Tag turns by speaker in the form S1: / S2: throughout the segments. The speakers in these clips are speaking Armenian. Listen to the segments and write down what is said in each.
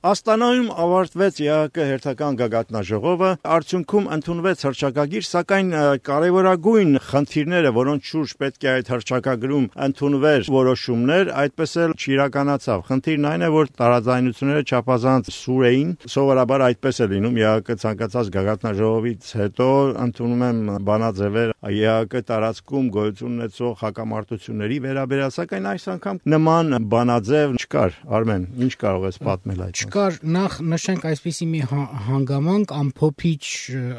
S1: Աստանայում ավարտվեց ԵԱՀԿ հերթական գագաթնաժողովը, արդյունքում ընդունվեց հռչակագիր, սակայն կարևորագույն խնդիրները, որոնց շուրջ պետք է այդ հռչակագրում ընդունվեր որոշումներ, այդպես էլ չիրականացավ։ Խնդիրն այն է, որ տարաձայնությունները չափազանց սուր էին, սովորաբար այդպես է լինում ԵԱՀԿ ցանկացած գագաթնաժողովից հետո ընդունում եմ բանաձևեր ԵԱՀԿ տարածքում գոյություն ունեցող հակամարտությունների վերաբերյալ, սակայն այս անգամ նման բանաձև չկար։ Արմեն, ինչ կարող ես պատմել այդ։
S2: Նախ նշենք այսպիսի մի հանգամանք ամփոփիչ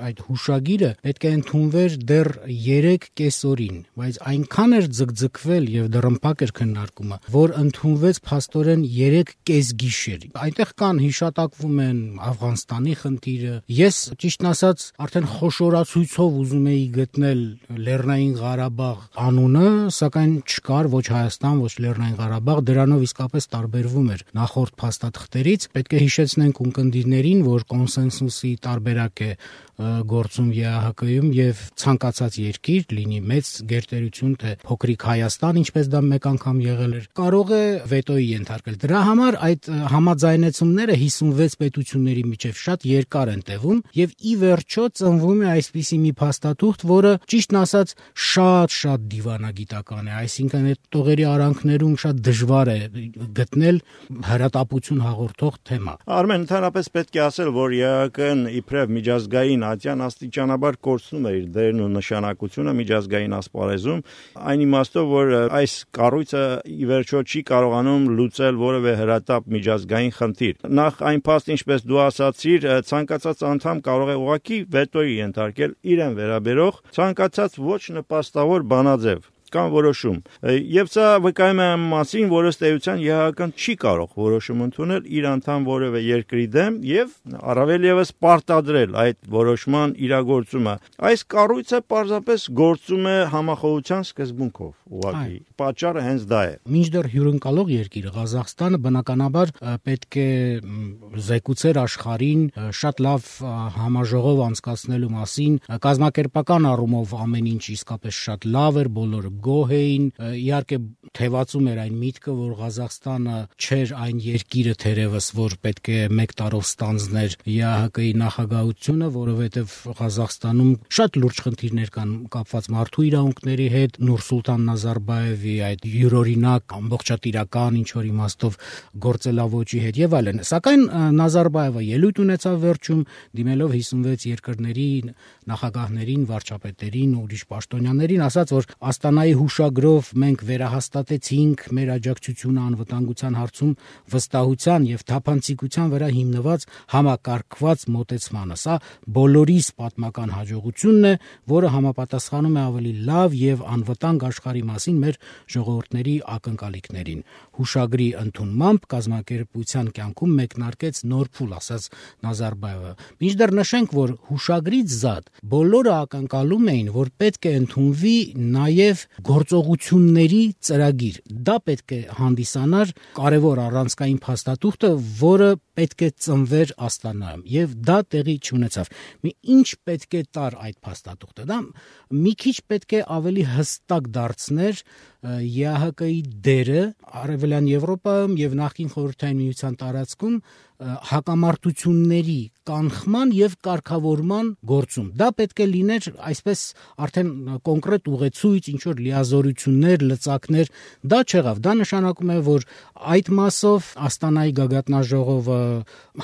S2: այդ հուշագիրը պետք է ընդունվեր դեռ 3 կեսօրին, բայց այնքան էր ձգձգվել եւ դռնփակ էր քննարկումը, որ ընդունվեց փաստորեն 3 կեսգիշեր։ Այնտեղ կան հիշատակվում են Աֆղանստանի խնդիրը։ Ես ճիշտն ասած արդեն խոշորացույցով ուզում էի գտնել Լեռնային Ղարաբաղ անունը, սակայն չկար ոչ Հայաստան, ոչ Լեռնային Ղարաբաղ, դրանով իսկապես տարբերվում էր նախորդ փաստաթղթերից։ Պետք է հիշեցնենք ունկնդիրներին, որ կոնսենսուսի տարբերակ է գործում ԵԱՀԿ-ում եւ ցանկացած երկիր, լինի մեծ գերտերություն թե փոքրիկ Հայաստան, ինչպես դա մեկ անգամ եղել էր, կարող է վետոյի ենթարկել։ Դրա համար այդ համաձայնեցումները 56 պետությունների միջև շատ երկար են տևում եւ ի վերջո ծնվում է այսպիսի մի փաստաթուղթ, որը ճիշտն ասած շատ դիվանագիտական է, այսինքն այդ տողերի արանքներում շատ դժվար է գտնել հրատապություն հաղորդող թեմա։
S1: Արմեն, ընդհանրապես պետք է ասել, որ ԵԱՀԿ-ն իբրև միջազգային ատյան աստիճանաբար կորցնում է իր դերն ու նշանակությունը միջազգային ասպարեզում, այն իմաստով, որ այս կառույցը ի վերջո չի կարողանում լուծել որևէ հրատապ միջազգային խնդիր։ Նախ այն փաստ, ինչպես դու ասացիր, ցանկացած անդամ կարող է ուղղակի վետոյի ենթարկել իրեն վերաբերող ցանկացած ոչ նպաստավոր բանաձև կամ որոշում։ Եվ սա վկայում է մասին, որ ըստ էության ԵԱՀԿ-ն չի կարող որոշում ընդունել իր անդամ որևէ երկրի դեմ եւ առավել եւս պարտադրել այդ որոշման իրագործումը։ Այս կառույցը պարզապես գործում է համախոհության սկզբունքով, ուղղակի։ Պատճառը հենց դա է։
S2: Մինչդեռ հյուրընկալող երկիրը Ղազախստանը բնականաբար պետք է զեկուցեր աշխարհին շատ լավ համաժողով անցկացնելու մասին, կազմակերպական առումով ամեն ինչ իսկապես շատ լավ էր, բոլորը գոհ էին, իհարկե թևածում էր այն միտքը, որ Ղազախստանը չէր այն երկիրը թերևս, որ պետք է 1 տարով ստանձներ ԵԱՀԿ-ի նախագահությունը, որովհետև Ղազախստանում շատ լուրջ խնդիրներ կան կապված մարդու իրավունքների հետ, Նուրսուլտան Նազարբաևի այդ յուրօրինակ ամբողջատիրական ինչ որ իմաստով գործելավոճի հետ եւ այլն։ Սակայն Նազարբաևը ելույթ ունեցավ վերջում, դիմելով 56 երկրների նախագահներին, վարչապետերին, ուրիշ պաշտոնյաներին, ասաց, որ Աստանայի հուշագրով մենք վերահաստատեցինք մեր աջակցությունը անվտանգության հարցում վստահության եւ թափանցիկության վրա հիմնված համակարգված մոտեցմանը։ Սա բոլորիս պատմական հաջողությունն է, որը համապատասխանում է ավելի լավ եւ անվտանգ աշխարհի մասին մեր ժողովուրդների ակնկալիքներին։ Հուշագրի ընդունմամբ կազմակերպության կյանքում մեկնարկեց նոր փուլ, ասաց Նազարբաևը։ Մինչդեռ նշենք, որ հուշագրից զատ բոլորը ակնկալում էին, որ պետք է ընդունվի նաև գործողությունների ծրագիր։ Դա պետք է հանդիսանար կարևոր առանցքային փաստաթուղթը, որը պետք է ծնվեր Աստանայում, եւ դա տեղի չունեցավ։ Ինչ պետք է տար այդ փաստաթուղթը։ Դա մի քիչ պետք է ավելի հստակ դարձներ ԵԱՀԿ-ի դերը Արևելյան Եվրոպայում եւ նախկին Խորհրդային Միության տարածքում հակամարտությունների կանխման եւ կարգավորման գործում։ Դա պետք է լիներ այսպես արդեն կոնկրետ ուղեցույց, ինչ որ լիազորություններ, լծակներ, դա չեղավ։ Դա նշանակում է, որ այդ մասով Աստանայի գագաթնաժողովը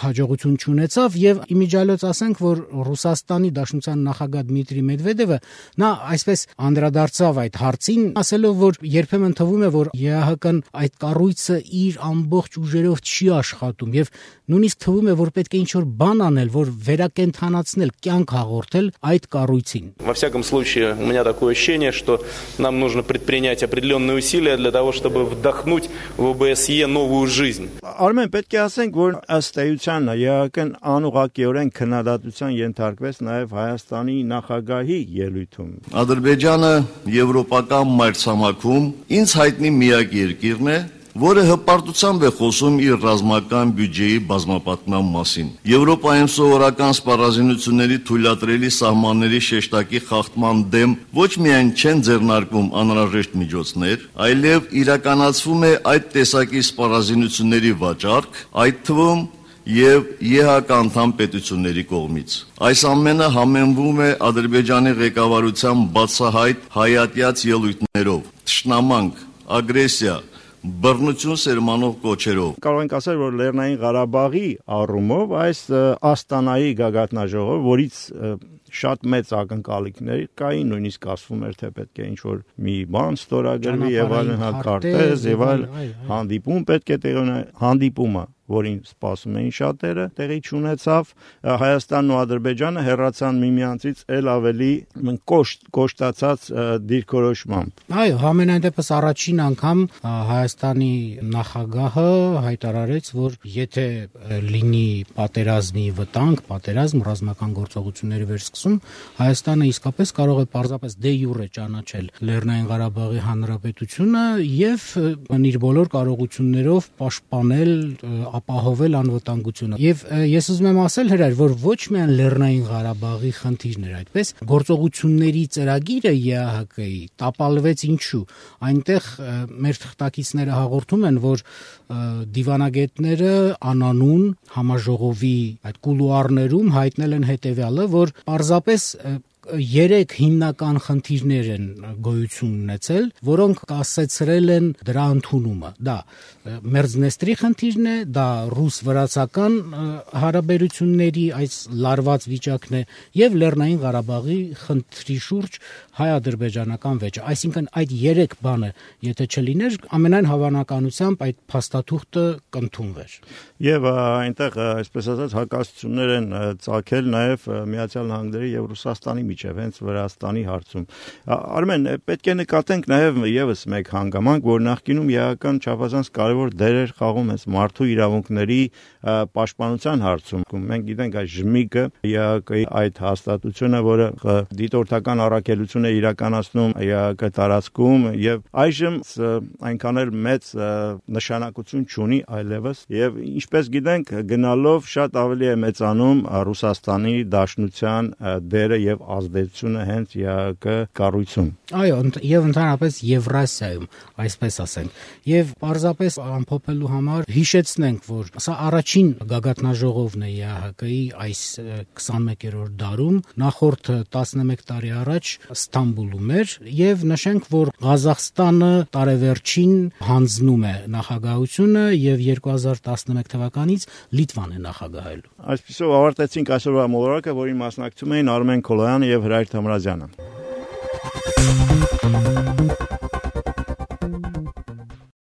S2: հաջողություն չունեցավ եւ իմիջիալոց ասենք, որ Ռուսաստանի Դաշնության նախագահ Դմիտրի Մեդվեդևը նա այսպես անդրադարձավ այդ հարցին, ասելով, որ երբեմն թվում է, որ ԵԱՀԿ-ն այդ կառույցը իր ամբողջ ուժերով չի աշխատում եւ նույնիսկ թվում է, որ պետք է ինչ-որ բան անել, որ վերակենդանացնել, կյանք հաղորդել այդ կառույցին։
S3: Во всяком случае, у меня такое ощущение, что нам нужно предпринять определенные усилия для того, чтобы вдохнуть в ОБСЕ новую жизнь.
S1: Արմեն, պետք է ասենք, որ ըստ էության ԵԱՀԿ-ն անուղղակիորեն քննադատության ենթարկվեց նաև Հայաստանի նախագահի ելույթում։
S4: Ադրբեջանը եվրոպական մայրցամաքում ինձ հայտնի միակ երկիրն է, որը հպարտությամբ է խոսում իր ռազմական բյուջեի բազմապատկման մասին։ Եվրոպայում սովորական սպառազինությունների թույլատրելի սահմանների շեշտակի խախտման դեմ ոչ միայն չեն ձեռնարկվում անհրաժեշտ միջոցներ, այլև իրականացվում է այդ տեսակի սպառազինությունների վաճառք, այդ թվում եւ ԵՀԿ անդամ պետությունների կողմից։ Այս ամենը համեմվում է Ադրբեջանի ղեկավարության բացահայտ հայատյաց ելույթներով, թշնամանք, ագրեսիա, բռնություն սերմանող կոչերով։
S1: Կարող ենք ասել, որ Լեռնային Ղարաբաղի առումով այս Աստանայի գագաթնաժողովը, որից շատ մեծ ակնկալիքներ կային, նույնիսկ ասվում էր, թե պետք է ինչ-որ մի բան ստորագրվի եւ այլն, քարտեզ եւ այլ հանդիպում պետք է տեղի ունենա, հանդիպումը, որին սպասում էին շատերը, տեղի չունեցավ, Հայաստանն ու Ադրբեջանը հեռացան միմյանցից ել ավելի կոշտացած դիրքորոշմամբ։
S2: Այո, համենայն դեպս առաջին անգամ Հայաստանի նախագահը հայտարարեց, որ եթե լինի պատերազմի վտանգ, ռազմական գործողությունների վերսկսում, Հայաստանը իսկապես կարող է պարզապես դե յուրե ճանաչել Լեռնային Ղարաբաղի Հանրապետությունը եւ իր բոլոր կարողություններով պաշտպանել, ապահովել անվտանգությունը։ Եվ ես ուզում եմ ասել հրայր, որ ոչ միայն Լեռնային Ղարաբաղի խնդիրն էր այդպես, գործողությունների ծրագիրը ԵԱՀԿ-ի տապալվեց ինչու։ Այնտեղ մեր թղթակիցները հաղորդում են, որ դիվանագետները անանուն համաժողովի այդ կուլուարներում հայտնել են հետևյալը, որ պարզապես 3 հիմնական խնդիրներ են գոյություն ունեցել, որոնք կասեցրել են դրա ընդունումը։ Դա Մերձնեստրի խնդիրն է, դա ռուս-վրացական հարաբերությունների այս լարված վիճակն է եւ Լեռնային Ղարաբաղի խնդրի շուրջ հայ-ադրբեջանական վեճը։ Այսինքն այդ 3 բանը, եթե չլիներ, ամենայն հավանականությամբ այդ փաստաթուղթը կընդունվեր։
S1: Եվ այնտեղ, այսպես ասած, հակասություններ են ծագել նաեւ Միացյալ Նահանգների եւ Ռուսաստանի միջև, հենց Վրաստանի հարցում։ Արմեն, պետք է նկատենք նաեւ եւս մեկ հանգամանք, որ նախկինում ԵԱՀԿ-ն չափազանց կարևոր դեր էր խաղում հենց մարդու իրավունքների պաշտպանության հարցում։ Մենք գիտենք այս ԺՄԻԿ-ը, ԵԱՀԿ-ի այդ հաստատությունը, որը դիտորդական առաքելություն է իրականացնում ԵԱՀԿ տարածքում եւ այժմ այնքան էլ մեծ նշանակություն չունի այլևս եւ ինչպես գիտենք գնալով շատ ավելի է մեծանում Ռուսաստանի Դաշնության դերը եւ ազդեցությունը հենց ԵԱՀԿ կառույցում։
S2: Այո, եւ ընդհանրապես Եվրասիայում, այսպես ասենք։ Եվ պարզապես ամփոփելու համար հիշեցնենք, որ սա առաջին գագաթնաժողովն է ԵԱՀԿ-ի այս 21-րդ դարում, նախորդ 11 տարի առաջ Ստամբուլում էր եւ նշենք, որ Ղազախստանը տարեվերջին հանձնում է նախագահությունը եւ 2011 թվականից Լիտվան է նախագահելու։
S1: Այսպեսով ավարտեցինք այսօրվա մոլորակը, որին մասնակցում էին Արմեն Քոլոյանը եւ Հրայր Թամրազյանը։